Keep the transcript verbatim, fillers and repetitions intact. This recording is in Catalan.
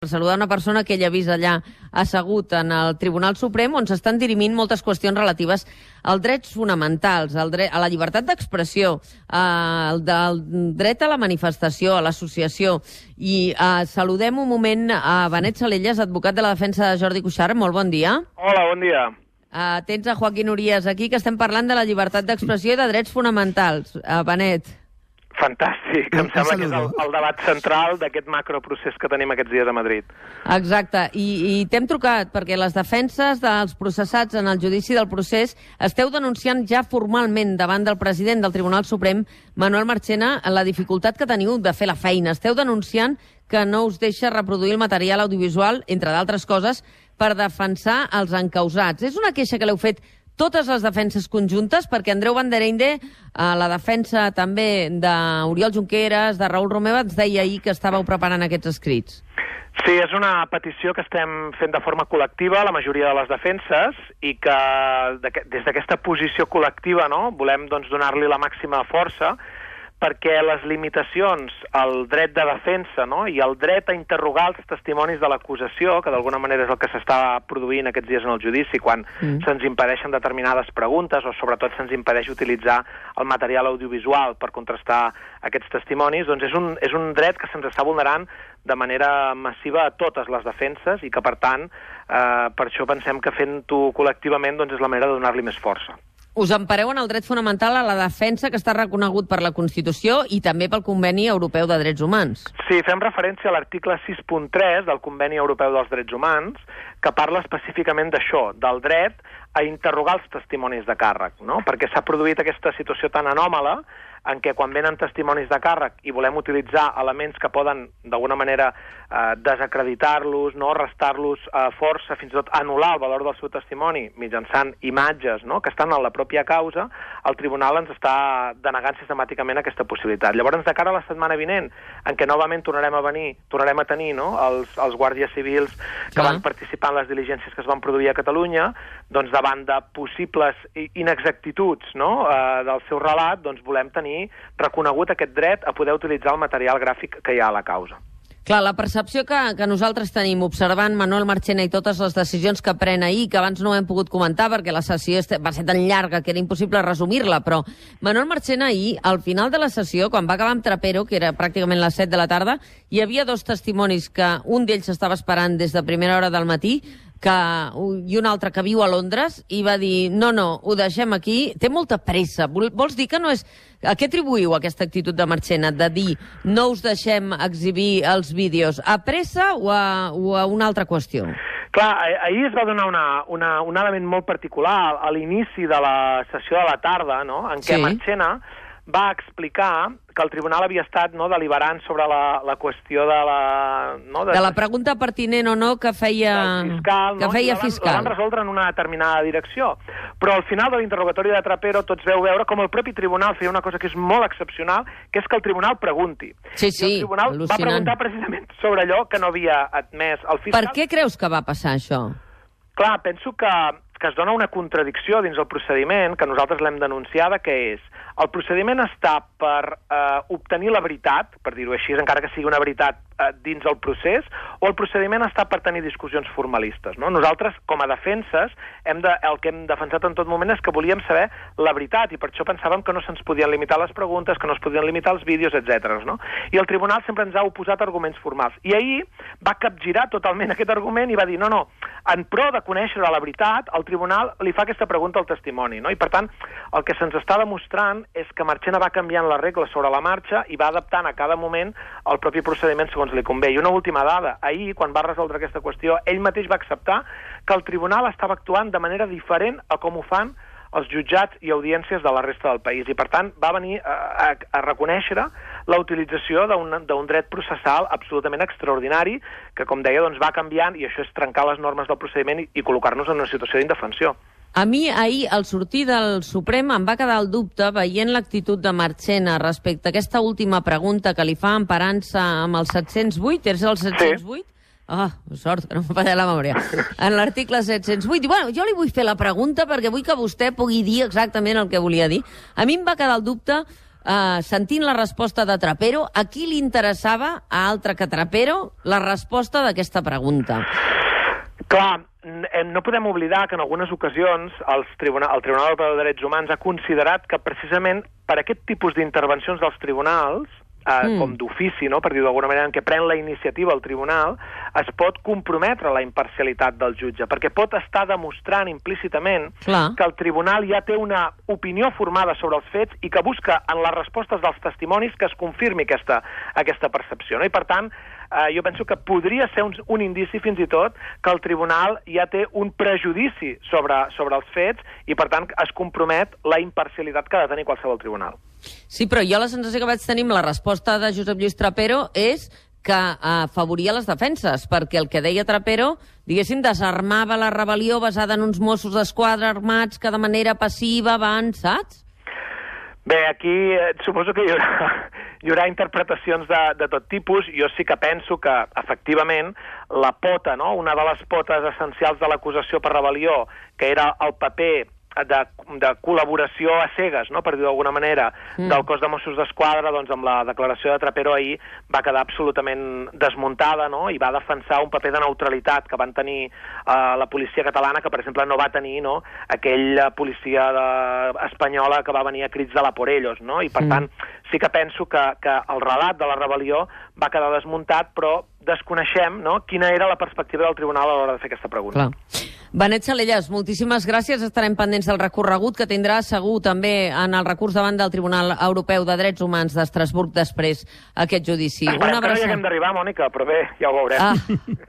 Per saludar una persona que ella ha vist allà assegut en el Tribunal Suprem, on s'estan dirimint moltes qüestions relatives als drets fonamentals, al dret, a la llibertat d'expressió, al del dret a la manifestació, a l'associació. I eh, saludem un moment a Benet Salellas, advocat de la defensa de Jordi Cuixart. Molt bon dia. Hola, bon dia. Uh, tens a Joaquín Urías aquí, que estem parlant de la llibertat d'expressió i de drets fonamentals. Uh, Benet. Fantàstic, em sembla que és el, el debat central d'aquest macroprocés que tenim aquests dies a Madrid. Exacte, i, i t'hem trucat perquè les defenses dels processats en el judici del procés esteu denunciant ja formalment davant del president del Tribunal Suprem, Manuel Marchena, la dificultat que teniu de fer la feina. Esteu denunciant que no us deixa reproduir el material audiovisual, entre d'altres coses, per defensar els encausats. És una queixa que l'heu fet totes les defenses conjuntes, perquè Andreu Vanderende, a la defensa també d'Oriol Junqueras, de Raül Romeva, ens deia ahir que estàveu preparant aquests escrits. Sí, és una petició que estem fent de forma col·lectiva, la majoria de les defenses, i que des d'aquesta posició col·lectiva, no, volem doncs, donar-li la màxima força, perquè les limitacions al dret de defensa, no, i el dret a interrogar els testimonis de l'acusació, que d'alguna manera és el que s'està produint aquests dies en el judici, quan mm. se'ns impedeixen determinades preguntes o sobretot se'ns impedeix utilitzar el material audiovisual per contrastar aquests testimonis, doncs és un, és un dret que se'ns està vulnerant de manera massiva a totes les defenses i que, per tant, eh, per això pensem que fent-ho col·lectivament doncs és la manera de donar-li més força. Us empareu en el dret fonamental a la defensa que està reconegut per la Constitució i també pel Conveni Europeu de Drets Humans. Sí, fem referència a l'article sis punt tres del Conveni Europeu dels Drets Humans, que parla específicament d'això, del dret a interrogar els testimonis de càrrec, no? Perquè s'ha produït aquesta situació tan anòmala en què quan venen testimonis de càrrec i volem utilitzar elements que poden d'alguna manera eh, desacreditar-los, no, restar-los eh, força, fins i tot anul·lar el valor del seu testimoni mitjançant imatges, no, que estan en la pròpia causa, el tribunal ens està denegant sistemàticament aquesta possibilitat. Llavors, de cara a la setmana vinent, en què novament tornarem a venir, tornarem a tenir, no, els, els guàrdies civils que Clar. van participar en les diligències que es van produir a Catalunya, doncs davant de possibles inexactituds, no, eh, del seu relat, doncs volem tenir reconegut aquest dret a poder utilitzar el material gràfic que hi ha a la causa. Clar, la percepció que, que nosaltres tenim observant Manuel Marchena i totes les decisions que pren ahir, que abans no hem pogut comentar perquè la sessió va ser tan llarga que era impossible resumir-la, però Manuel Marchena ahir, al final de la sessió, quan va acabar amb Trapero, que era pràcticament les set de la tarda, hi havia dos testimonis que un d'ells estava esperant des de primera hora del matí, que, i un altre que viu a Londres, i va dir, no, no, ho deixem aquí, té molta pressa. Vols dir que no és... A què atribuïu aquesta actitud de Marchena, de dir no us deixem exhibir els vídeos? A pressa o a, o a una altra qüestió? Clar, ahir es va donar una, una, un element molt particular a l'inici de la sessió de la tarda, no?, en què sí. Marchena va explicar que el tribunal havia estat, no, deliberant sobre la, la qüestió de la... No, de, de la pregunta pertinent o no que feia fiscal, que no? feia la, fiscal. La van resoldre en una determinada direcció. Però al final de l'interrogatori de Trapero tots veu veure com el propi tribunal feia una cosa que és molt excepcional, que és que el tribunal pregunti. Sí, sí, I el tribunal al·lucinant. va preguntar precisament sobre allò que no havia admès el fiscal. Per què creus que va passar això? Clar, penso que, que es dona una contradicció dins el procediment, que nosaltres l'hem denunciada, que és el procediment està per eh, obtenir la veritat, per dir-ho així, encara que sigui una veritat eh, dins el procés, o el procediment està per tenir discussions formalistes, no? Nosaltres, com a defenses, hem de, el que hem defensat en tot moment és que volíem saber la veritat, i per això pensàvem que no se'ns podien limitar les preguntes, que no es podien limitar els vídeos, etcètera. No? I el tribunal sempre ens ha oposat arguments formals. I ahir va capgirar totalment aquest argument i va dir, no, no, en pro de conèixer la veritat, el tribunal li fa aquesta pregunta al testimoni, no? I per tant, el que se'ns està demostrant és que Marchena va canviant les regles sobre la marxa i va adaptant a cada moment el propi procediment segons li convé. I una última dada, ahir, quan va resoldre aquesta qüestió, ell mateix va acceptar que el tribunal estava actuant de manera diferent a com ho fan els jutjats i audiències de la resta del país. I, per tant, va venir a, a, a reconèixer la utilització d'un dret processal absolutament extraordinari que, com deia, doncs, va canviant, i això és trencar les normes del procediment i, i col·locar-nos en una situació d'indefensió. A mi, ahir, al sortir del Suprem, em va quedar el dubte, veient l'actitud de Marchena respecte a aquesta última pregunta que li fa emparant-se amb el set-cents vuit, és el set-cents vuit? Sí. Ah, sort, que no em falla la memòria. En l'article set-cents vuit, i bueno, jo li vull fer la pregunta perquè vull que vostè pugui dir exactament el que volia dir. A mi em va quedar el dubte uh, sentint la resposta de Trapero, a qui li interessava, a altre que Trapero, la resposta d'aquesta pregunta? Clar, no podem oblidar que en algunes ocasions els tribunal, el Tribunal Europeu de Drets Humans ha considerat que precisament per aquest tipus d'intervencions dels tribunals, eh, mm. com d'ofici, no?, per dir-ho d'alguna manera, en què pren la iniciativa el tribunal, es pot comprometre la imparcialitat del jutge, perquè pot estar demostrant implícitament Clar. que el tribunal ja té una opinió formada sobre els fets i que busca en les respostes dels testimonis que es confirmi aquesta, aquesta percepció. No? I per tant, eh, jo penso que podria ser un, un indici fins i tot que el tribunal ja té un prejudici sobre, sobre els fets i per tant es compromet la imparcialitat que ha de tenir qualsevol tribunal. Sí, però jo la sensació que vaig tenir amb la resposta de Josep Lluís Trapero és que afavoria les defenses, perquè el que deia Trapero, diguéssim, desarmava la rebel·lió basada en uns Mossos d'Esquadra armats que de manera passiva van, saps? Bé, aquí eh, suposo que hi haurà, hi haurà interpretacions de, de tot tipus. Jo sí que penso que, efectivament, la pota, no?, una de les potes essencials de l'acusació per rebel·lió, que era el paper de, de col·laboració a cegues, no?, per dir-ho d'alguna manera, mm. del cos de Mossos d'Esquadra, doncs amb la declaració de Trapero ahir va quedar absolutament desmuntada, no?, i va defensar un paper de neutralitat que van tenir eh, la policia catalana, que per exemple no va tenir, no?, aquella policia de, espanyola que va venir a crits de la por ellos, no?, i per mm. tant sí que penso que, que el relat de la rebel·lió va quedar desmuntat, però desconeixem, no?, quina era la perspectiva del tribunal a l'hora de fer aquesta pregunta. Clar. Benet Salellas, moltíssimes gràcies. Estarem pendents del recorregut que tindrà segur també en el recurs davant del Tribunal Europeu de Drets Humans d'Estrasburg després aquest judici. Esperem que no hi haguem d'arribar, Mònica, però bé, ja ho veurem. Ah.